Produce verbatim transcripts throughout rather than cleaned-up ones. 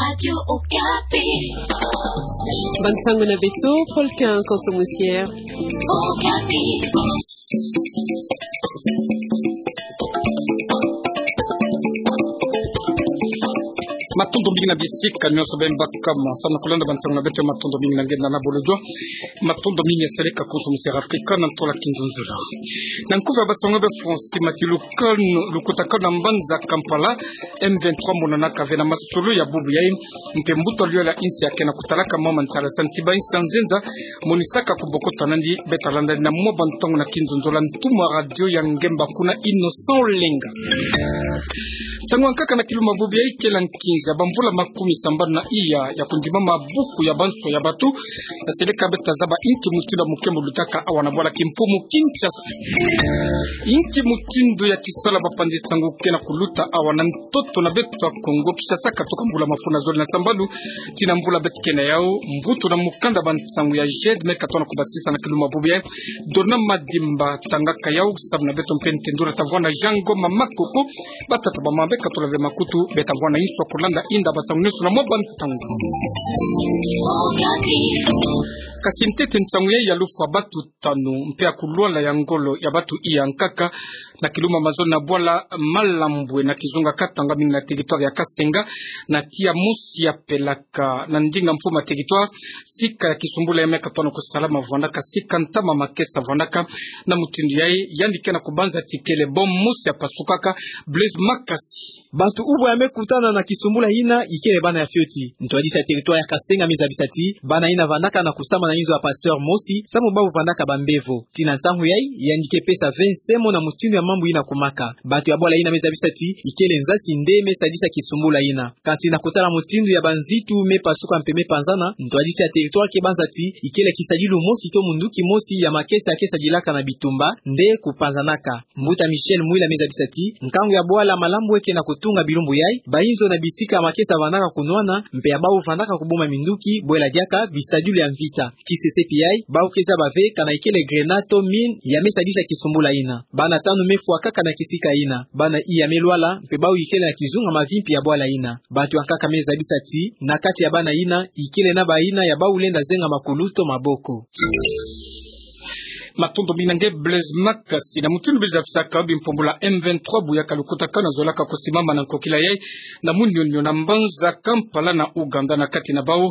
Radio Okapi. Bansango na beto, Paul Quin Konso Musière. Okapi. Matondo mingi na bisika nyonso beno baka ma, samu na kulanda bansango na beto. Matondo mingi na nge na bolojwa. Matondo mingi ya seleka Konso Musière Afrika na ntola kinzonzolo. Na nkufi ya bansango be Francis Matilu, lukutakano na mbanza Kampala, M vingt-trois monanaka ve na masolo ya bubu yayi, mpe mbuta luyalo ya insi ya ke na kutalaka mama ntalasa nti ba insi ya nzenza, monisaka kubokota nandi. Beta landa na mwa bantangu na kinzonzolo, ntumwa radio ya ngemba kuna, Innocent Olenga. Ntangu ya nkaka na kiluma bubu yayi kele nkinza bamvula makumi sambanu na iya ya kundima mabuku ya banso ya bato, ya seleka beta zaba inki mutindu ya mukembo lutaka awa na bwala kimfumu Kinshasa. Inki mutindu ya kisala bapanzi nsangu ke na kuluta awa na ntoto na beto ya Kongo Kinshasa, katoka mbula mafunda zole na sambanu tii na mbula beto ke na yau. Mvutu na mukanda bansangu ya GED me katona kubasisa na kiluma bubu yayi, Dona Madimba tangaka yau, samu na beto mpe ntendula tavwanda Jean Ngoma Makoko. Batata bamama, beka tula ve makutu, beta vwanda inso kulanda inda bansangu nyonso na mwa bantangu. Kasi ntete nsangu yayi ya lufwa batu tanu mpe ya kulwala ya ngolo ya batu iya nkaka na kiluma mazo na bwala Malambwe na kizunga Katanga, mingi na territoire ya Kasenga, na tiya mosi ya pelaka na ndinga mfumu ya territoire, sika ya kisumbula ya me katona kusalama vwandaka, sika ntama makesa vwandaka. Na mutindu yayi, yandi ke na kubanza ti kele bombe mosi ya pasukaka. Blaise Makasi. Bantu uvu ya me kutana na kisumbula yina ikele bana ya fioti. Ntwadisi ya territoire ya Kasenga me zabisa ti bana yina vandaka na kusambana na inzo ya pasteur mosi, samu bawu vandaka bambevo. Tii na ntangu yayi, yandi ke pesa ve nsemo na mutindu ya mambu yina kumaka. Bantu ya bwala yina me zabisa ti ikele nzasi nde me sadisa kisumbula yina. Kasi na kutala mutindu ya banzitu me pasuka mpe me panzana, ntwadisi ya territoire ke banza ti ikele kisadilu mosi to munduki mosi ya makesa ya ke sadilaka na bitumba nde kupanzanaka. Mbuta Michel Mwila me zabisa ti nkangu ya bwala Malambwe ke na kutunga bilumbu yayi, ba inzo na bisika ya makesa vandaka kunwana, mpe ya bawu vandaka kubuma minduki, bwela diaka bisadilu ya mvita. Kisese pi yayi, bawu ke zaba ve kana ikele grenade to mine ya me sadisa kisumbula yina. Bana tanu me fwa kaka na kisika yina. Bana iya me lwala, mpe bawu ikele na kizunga mavimpi ya bwala yina. Bantu ya nkaka me zabisa ti na kati ya bana yina, ikele na bayina ya bawu lenda zenga makulu to maboko. Matondo mingi na nge Blaise Makasi. Na mutindu beno zabisaka, bimpombula M vingt-trois bu yaka lukutakano zolaka kusimama na nkokila yayi na munionio na mbanza Kampala na Ouganda, na kati na bawu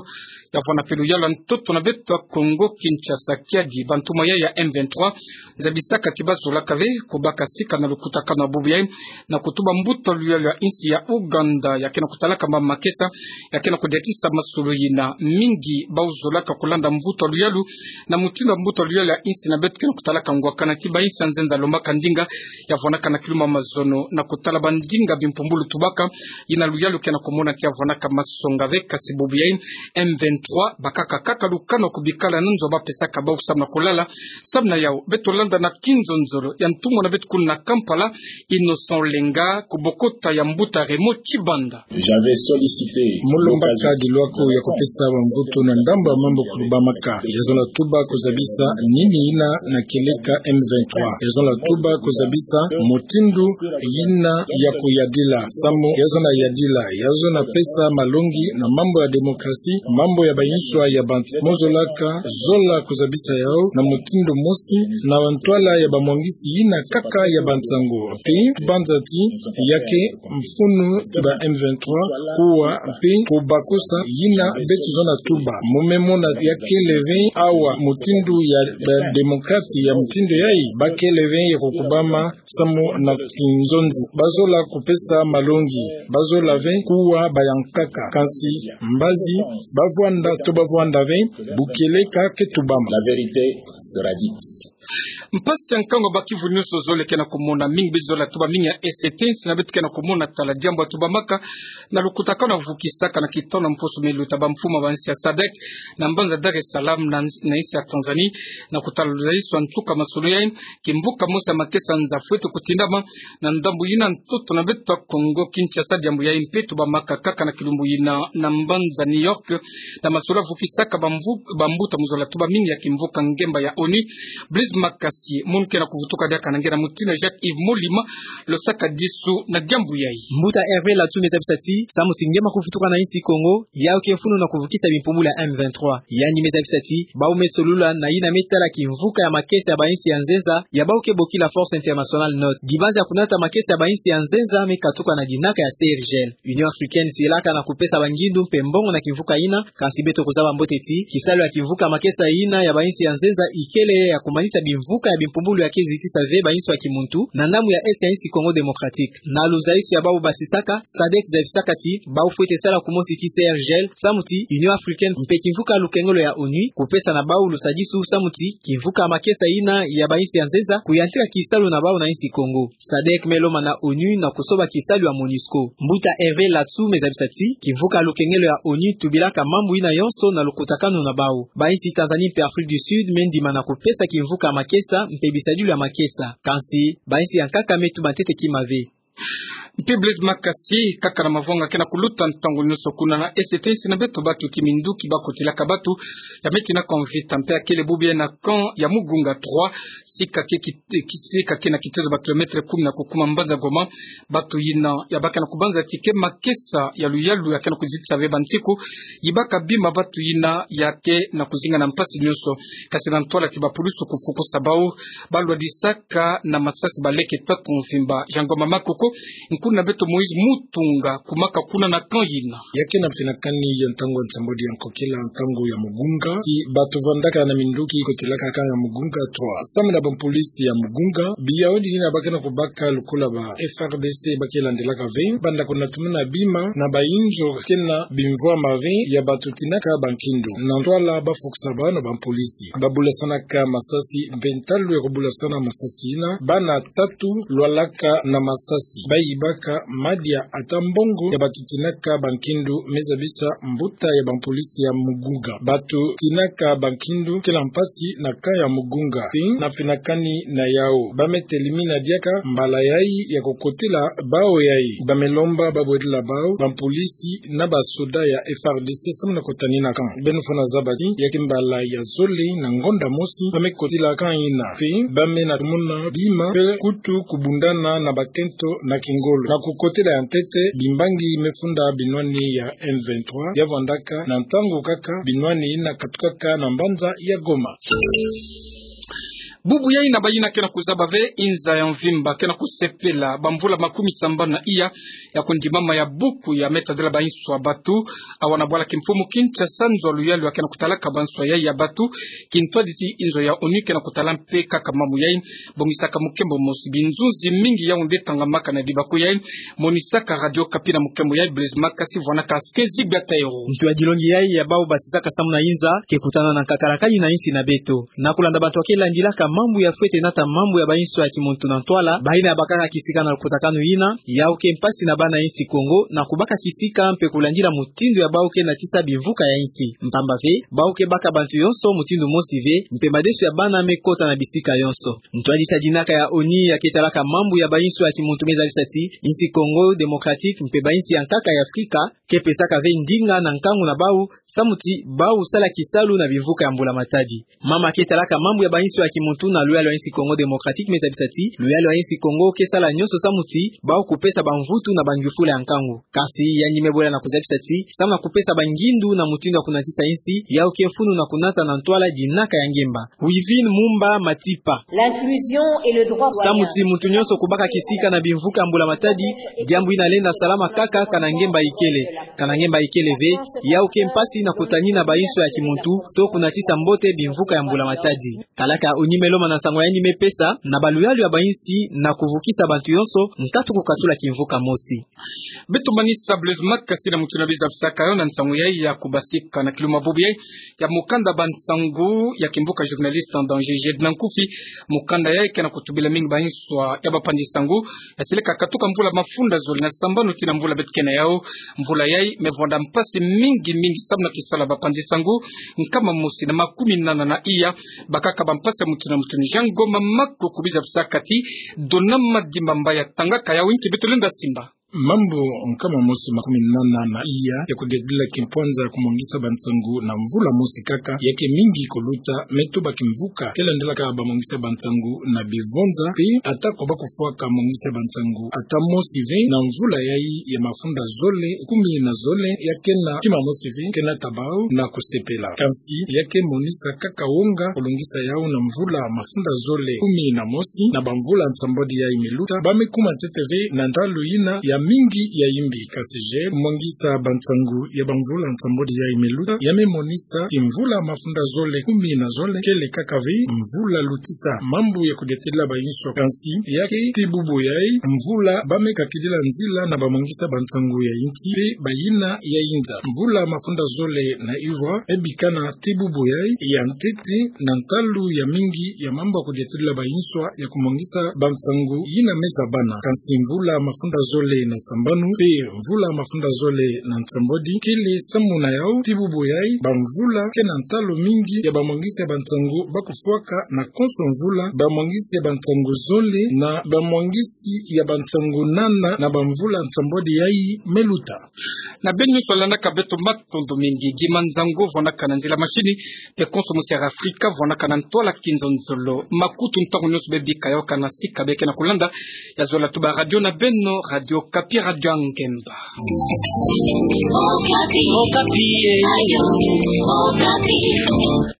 ya vwanda mpe luyalu ya ntoto na beto ya Kongo Kinshasa. Kiadi bantumwa yayi ya M vingt-trois zabisaka ti bazolaka ve kubaka sika na lukutakano ya bubu yayi na kutuba mbuta luyalu ya insi ya Ouganda ya ke na kutalaka mama makesa, ya ke na kudiatisa masolo yina mingi bawu zolaka kulanda mvutu ya luyalu, na mutindu ya mbuta luyalu ya insi na beto ke na kutalaka ngwakana ti ba insi ya nzenza lombaka ndinga ya vwandaka na kiluma mazono na kutala bandinga bimpumbulu tubaka, yina luyalu ke na kumona ti ya vwandaka masonga ve. Kasi bubu yayi M vingt-trois bakaka kaka lukano kubikala na nzo bapesaka bawu samu na kulala. Samu na yawu, beto landa na kinzonzolo ya ntumwa na beto kuna na Kampala, Innocent Olenga, kubokota ya mbuta Raymond Tshibanda. J'avais sollicité. Mu lombaka dilwako ya kupesa bamvutu na ndambu ya mambu kulubamaka. Yazo na tuba kuzabisa nini yina na kieleka M vingt-trois. Yazo na tuba kuzabisa mutindu yina ya kuyadila. Samu yazo na yadila, yazo na pesa malongi na mambu ya démocratie, mambu ya bayinswa ya bantu. Mo zolaka zola kuzabisa yawu na mutindu mosi, na ntwala ya bamwangisi yina kaka ya bansangu. Mpe banza ti ya ke mfunu ti ba M vingt-trois kuwa mpe kubakusa yina beto zo na tuba. Mo me mona ya kele ve awa mutindu ya ba démocrate ya mutindu yayi, ba kele ve ya kukubama samu na kinzonzi. Bazola kupesa malongi, bazola ve kuwa bayankaka. Kansi mbazi bavwanda to bavwanda ve, bu kieleka ke tubama. La vérité sera dite. Mpasi ya nkangu ya ba kivu nyonso zole ke na kumona, mingi beto zola tuba, mingi ya E C T, insi na beto ke na kumona tala diambu ya tubamaka na lukutakano vukisaka na kitono mposo me luta bamfumu ya bansi ya sadek na mbanza Dar es Salaam na, na insi ya Tanzanie, na kutala luzaliso ya nsuka masolo yayi, kimvuka mosi ya makesa nza fwete kutindama na ndambu yina ntoto na beto ya Kongo Kinshasa. Diambu yayi mpe tubamaka kaka na kilumbu yina na mbanza New York, na masolo ya vukisaka bamvu-, bambuta. Mo zola tuba mingi ya kimvuka ngemba ya ONU. Blaise Makasi, munu ke na kuvutuka diaka na nge na mutindu ya Jacques Yves Molima, lo sakadisu na diambu yai. Mbuta Hervé Latsou me zabisa ti, samu ti nge ma kuvutuka na insi Kongo, yau ke funu na kuvukisa bimpumbulu ya M vingt-trois. Yandi me zabisa ti, bau me solula na yina me tala kimvuka ya makesa ya bainsi ya nzenza, ya bau ke bokila Force Internationale Nôtre. Dibanzi ya kunata makesa ya bainsi ya nzenza me katuka na dinaka ya C R G L. Union Africaine silaka na kupesa bangindu mpe mbongo na kimvuka yina, kasi beto kuzaba mbote ti, kisalu ya kimvuka makesa yina ya bainsi ya nzenza ikele ya kumanisa bimvuka ya bimpumbulu ya ke zitisa ve bainsi ya kimuntu, na ndambu ya Est ya insi Congo Démocratique. Na luzaisu ya bau basisaka, sadek zabisaka ti, bau fwete sala kumosi ti C R G L, samu ti Union Africaine mpe kimvuka lukengelo ya ONU, kupesa na bau lusadisu, samu ti kimvuka makesa yina ya bainsi ya nzenza, kuyantika kisalu na bau na insi Congo. Sadek me lomba na ONU na kusoba kisalu ya MONUSCO. Mbuta Hervé Latsou me zabisa ti, kimvuka lukengelo ya ONU tubilaka mambu yina yonso na lukutakanu na bau. Bainsi Tanzanie mpe Afrique du Sud me ndima na kupesa kimvuka makesa mpe bisadilu ya makesa. Kansi, bainsi ya nkaka me tuba ntete kima ve. Mpe Blaise Makasi, kaka na mavwanga ke na kuluta ntangu nyonso kuna na Est, insi na beto batu ti minduki ba kotilaka batu, ya me tinaka mvita mpe ya kele bubu yai na camp ya Mugunga trois, sika ke ki, ki, sika ke na kitezo ba kilomètre kumi na kukuma mbanza Goma, batu yina ya baka na kubanza ti ke makesa ya luyalu ya ke na kuzitisa ve bansiku, yibaka bima batu yina ya ke na kuzinga na mpasi nyonso. Kasi na ntwala ti bapulusu kufukusa bau, balwadisaka na masasi baleke tatu mvimba. Jean Ngoma Makoko, nkuna beto Moïse Mutunga, kumaka kuna na camp yina. Ya ke na mfinakani ya ntangu ya nsembo di ya nkokila ntangu ya Mugunga, ti batu vandaka na minduki kotilaka camp ya Mugunga trois. Samu na bampolisi ya Mugunga, biyawu dina ba ke na kubaka lokola ba F A R D C ba ke landilaka ve, banda kunatumuna bima na bayinzo ke na bimvwama ve ya batu tinaka bankindu. Na ntwala ba fukusa bau na bampolisi. Babulasanaka masasi mpe ntalu ya kubulasana masasi yina, bana tatu lwalaka na masasi. Bayibaka madia ata mbongo ya batu tinaka bankindu, me zabisa mbuta ya bampolisi ya Mugunga. Batu tinaka bankindu ke na mpasi na camp ya Mugunga. Mpe na mfinakani na yawu, ba me telimina diaka mbala yai ya kukotila bau yai. Ba me lomba ba bwedila bau bampolisi na basoda ya F A R D C samu na kutanina camp. Beno fwana zaba ti, ya ke mbala ya zole na ngonda mosi ba me kotila camp yina. Mpe ba me na tumuna bima, mpe kutu kubundana na bakento na kingolo. Na kukotila ya ntete, bimbangi me funda binwani ya M vingt-trois, ya vandaka na ntangu kaka binwani yina katukaka na mbanza ya Goma. Bubu yai na bayina ke na kuzaba ve, inza ya mvimba ke na kusepela bamvula makumi sambanu na iya ya kundimama ya buku ya me tadila banswa batu. Awa na bwala kimfumu Kinshasa, nzo ya luyalu ya ke na kutalaka banswa yai ya batu, kintwadi ti inzo ya ONU ke na kutala mpe kaka mambu yai. Bongisaka mukembo mosi binzunzi mingi yau nde tangamaka na dibaku yai. Monisaka Radio Okapi na mukembo yai, Blaise Makasi vwanaka Askenzi Gatairo. Ntu ya dilongi yai ya bau basisaka samu na inza ke kutana na nkakalakani na insi na beto. Na kulanda bantu ya ke landilaka mambu ya fwete nata mambu ya banswa ya kimuntu na ntwala, bayina ya bakaka kisika na lukutakanu yina, yau ke mpasi na bana insi Kongo na kubaka kisika mpe kulandila mutindu ya bau ke natisa bimvuka ya insi. Mpamba ve, bau ke baka bantu yonso mutindu mosi ve, mpe madesu ya bana me kota na bisika yonso. Ntwadisi ya dinaka ya ONU ya ke talaka mambu ya banswa ya kimuntu me zabisa ti, insi Congo Démocratique mpe bansi ya nkaka ya Afrika ke pesaka ve ndinga na nkangu na bau, samu ti bau sala kisalu na bimvuka ya mbula matadi. Mama ke talaka mambu ya banswa ya kimuntu na luyalu ya insi Congo Démocratique me zabisa ti, luyalu ya insi Congo ke sala nyonso samu ti bau kupesa bamvutu na bangyufula ya nkangu. Kasi yandi me bwela na kuzabisa ti, samu na kupesa bangindu na mutindu ya kunatisa insi, yau ke funu na kunata na ntwala dinaka ya ngemba. Wivine Mumba Matipa. L'inclusion et le droit. Samu ti muntu nyonso kubaka kisika na bimvuka ya mbula matadi, diambu yina lenda salama kaka kana ngemba ikele. Kana ngemba ikele ve, yau ke mpasi na kutanina banswa ya kimuntu, to kunatisa mbote bimvuka ya mbula matadi. Kalaka ya ONU me lomba na nsangu yandi me pesa na baluyalu ya bansi na kuvukisa bantu yonso, nkatu kukatula kimvuka mosi. Beto manisa Blaise Makasi na mutindu ya bizabisaka yo na nsangu yai ya kubasika na kiluma bubu yai ya mukanda bansangu ya kimvuka Journaliste en danger. Jedna Nkufi, mukanda yai ke na kutubila mingi banswa ya bapanzi nsangu ya sileka katuka mvula mafunda zole na sambanu tii na mvula beto ke na yau. Mvula yai me vwanda mpasi mingi mingi samu na kisalu ya bapanzi nsangu nkama mosi na makumi nana na iya. Bakaka bampasi ya mutindu na mutindu. Jean Ngoma Makoko, bizabisaka ti, dona madimba mba ya tangaka yau, nki beto lenda simba? Mambu nkama mosi makumi nana na iya ya kudedila kimpwanza ya kumwangisa bansangu na mvula mosi kaka, ya ke mingi kuluta, me tuba kimvuka, ke landelaka bamwangisa bansangu na bivonza, pe ata ko ba kufwaka mwangisa bansangu ata mosi ve na mvula yayi ya mafunda zole kumi na zole, ya ke na kima mosi ve, ke nata bau na kusepela. Kansi, ya ke monisa kaka wonga kulungisa yau na mvula mafunda zole kumi na mosi, na bamvula nsambwadi yayi me luta, ba me kuma ntete ve na ntalu yina ya mingi ya yimbi. Kasi je, mwangisa bansangu ya bamvula nsambwadi yayi me luta, ya me monisa ti mvula mafunda zole kumi na zole kele kaka ve mvula lutisa. Mambu ya kudiatila bayinswa. Kansi, ya ke ti bubu yayi, mvula ba me kakidila nzila na bamwangisa bansangu ya inti, pe bayina ya inza. Mvula mafunda zole na ivwa, e bikana ti bubu yayi ya ntete na ntalu ya mingi ya mambu ya kudiatila bayinswa ya kumwangisa bansangu yina me zabana. Kansi mvula mafunda zole na sambanu, pe mvula mafunda zole na nsambwadi, kele samu na yau ti bubu yayi, bamvula ke na ntalu mingi ya bamwangisa bansangu ba kufwaka na konso mvula, bamwangisi ya bansangu zole na bamwangisi ya bansangu nana na bamvula nsambwadi yayi me luta. Na beno nyonso landaka beto, matondo mingi. Guy Manzango vwanaka na nzila machine, pe konso mosi ya Afrika vwanaka na ntwala kinzonzolo. Makutu ntangu nyonso be bika yau kana sika be ke na kulanda, ya zola tuba radio na beno, Radio Okapi, radio ya ngemba. Okapi. Okapi, eh.